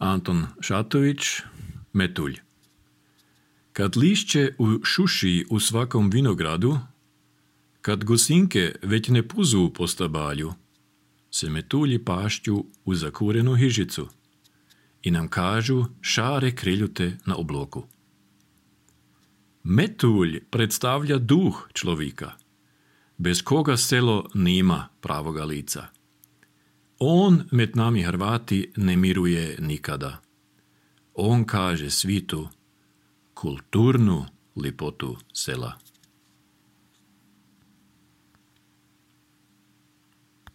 Anton Šatović, Metulj. Kad lišće ušuši u svakom vinogradu, kad gusinke već ne puzu po stabalju, se metulji pašću u zakurenu hižicu i nam kažu šare kriljute na obloku. Metulj predstavlja duh človeka, bez koga selo nima pravoga lica. On med nami Hrvati ne miruje nikada. On kaže svitu kulturnu lipotu sela.